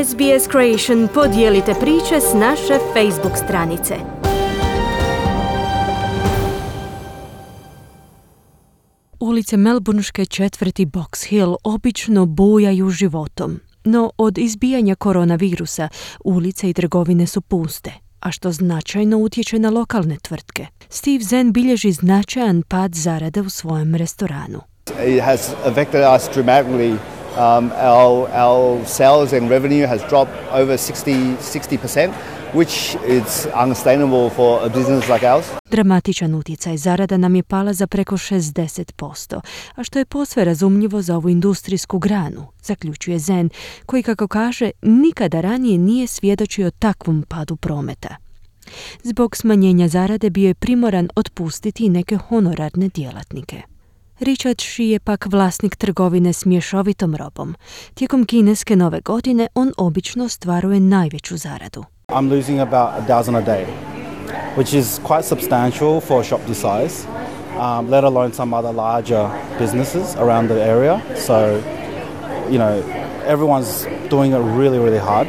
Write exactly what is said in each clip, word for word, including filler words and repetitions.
S B S Creation podijelite priče s naše Facebook stranice. Ulice melbourneške četvrti Box Hill obično bujaju životom, no od izbijanja koronavirusa ulice i trgovine su puste, a što značajno utječe na lokalne tvrtke. Steve Zen bilježi značajan pad zarade u svojem restoranu. It has affected us dramatically. Um, our, our sales and revenue has dropped over sixty percent, which is unsustainable for a business like ours. Dramatičan utjecaj zarada nam je pala za preko šezdeset posto, a što je posve razumljivo za ovu industrijsku granu, zaključuje Zen, koji, kako kaže, nikada ranije nije svjedočio takvom padu prometa. Zbog smanjenja zarade bio je primoran otpustiti neke honorarne djelatnike. Richard Shi je pak vlasnik trgovine s mješovitom robom. Tijekom kineske nove godine on obično ostvaruje najveću zaradu. I'm losing about a dozen a day, which is quite substantial for a shop this size, um, let alone some other larger businesses around the area. So, you know, everyone's doing it really, really hard.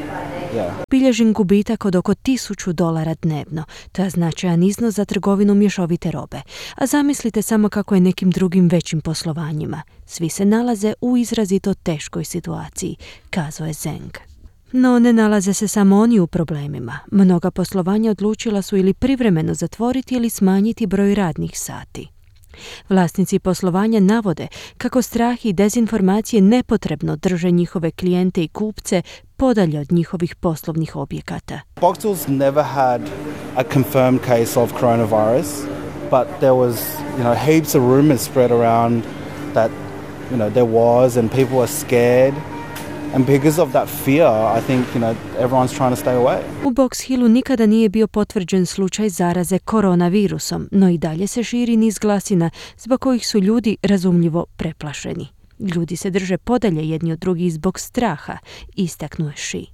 Yeah. Bilježim gubitak od oko tisuću dolara dnevno. To je značajan iznos za trgovinu mješovite robe. A zamislite samo kako je nekim drugim većim poslovanjima. Svi se nalaze u izrazito teškoj situaciji, kazao je Zeng. No ne nalaze se samo oni u problemima. Mnoga poslovanja odlučila su ili privremeno zatvoriti ili smanjiti broj radnih sati. Vlasnici poslovanja navode kako strah i dezinformacije nepotrebno drže njihove klijente i kupce podalje od njihovih poslovnih objekata. Box Hill's never had a confirmed case of coronavirus, but there was, you know, heaps of rumors spread around that, you know, there was, and people were scared. And because of that fear, I think, you know, everyone's trying to stay away. U Box Hillu nikada nije bio potvrđen slučaj zaraze koronavirusom, no i dalje se širi niz glasina zbog kojih su ljudi razumljivo preplašeni. Ljudi se drže podalje jedni od drugih zbog straha, istaknuo je Shi.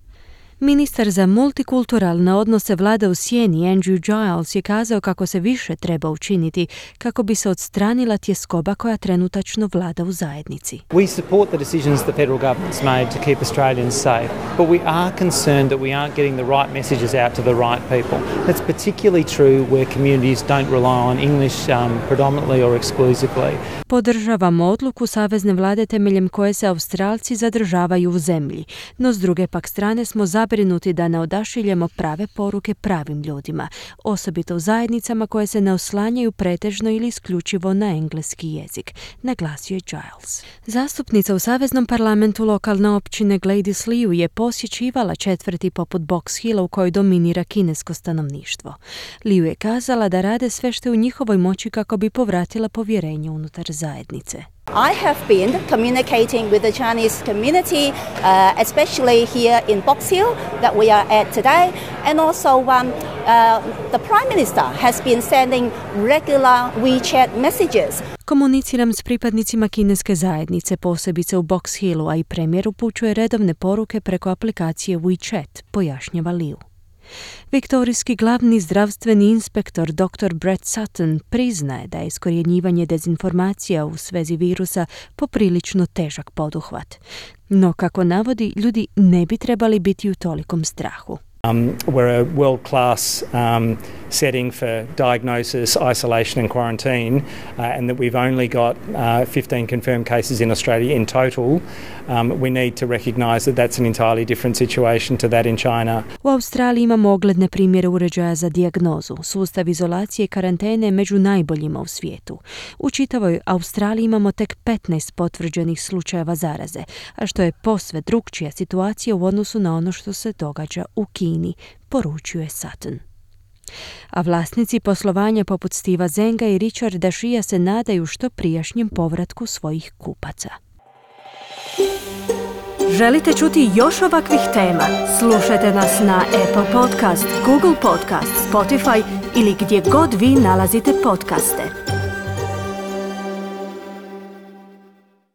Ministar za multikulturalne odnose vlade u sjeni Andrew Giles je kazao kako se više treba učiniti kako bi se odstranila tjeskoba koja trenutačno vlada u zajednici. We support the decisions the federal government's made to keep Australians safe, but we are concerned that we aren't getting the right messages out to the right people. That's particularly true where communities don't rely on English um, predominantly or exclusively. Podržavamo odluku savezne vlade temeljem koje se Australci zadržavaju u zemlji, no s druge pak strane smo zabrinuti da ne odašiljemo prave poruke pravim ljudima, osobito u zajednicama koje se ne oslanjaju pretežno ili isključivo na engleski jezik, naglasio je Giles. Zastupnica u Saveznom parlamentu lokalne općine Gladys Liu je posjećivala četvrti poput Box Hilla u kojoj dominira kinesko stanovništvo. Liu je kazala da rade sve što je u njihovoj moći kako bi povratila povjerenje unutar zajednice. I have been communicating with the Chinese community, uh, especially here in Box Hill that we are at today, and also um, uh, the Prime Minister has been sending regular WeChat messages. Komuniciram s pripadnicima kineske zajednice, posebice u Box Hillu, a i premijer upućuje redovne poruke preko aplikacije WeChat, pojašnjava Liu. Viktorijski glavni zdravstveni inspektor doktor Brett Sutton priznaje da je iskorjenjivanje dezinformacija u svezi virusa poprilično težak poduhvat. No, kako navodi, ljudi ne bi trebali biti u tolikom strahu. Um, we're a world-class um, setting for diagnosis, isolation and quarantine, uh, and that we've only got uh, fifteen confirmed cases in Australia in total. Um, we need to recognise that that's an entirely different situation to that in China. U Australiji imamo ogledne primjere uređaja za dijagnozu. Sustav izolacije i karantene je među najboljima u svijetu. U čitavoj Australiji imamo tek petnaest potvrđenih slučajeva zaraze, a što je posve drukčija situacija u odnosu na ono što se događa u Kini, poručuje Sutton. A vlasnici poslovanja poput Steva Zenga i Richarda Shia se nadaju što prijašnjem povratku svojih kupaca. Želite čuti još ovakvih tema? Slušajte nas na Apple Podcast, Google Podcast, Spotify ili gdje god vi nalazite podcaste.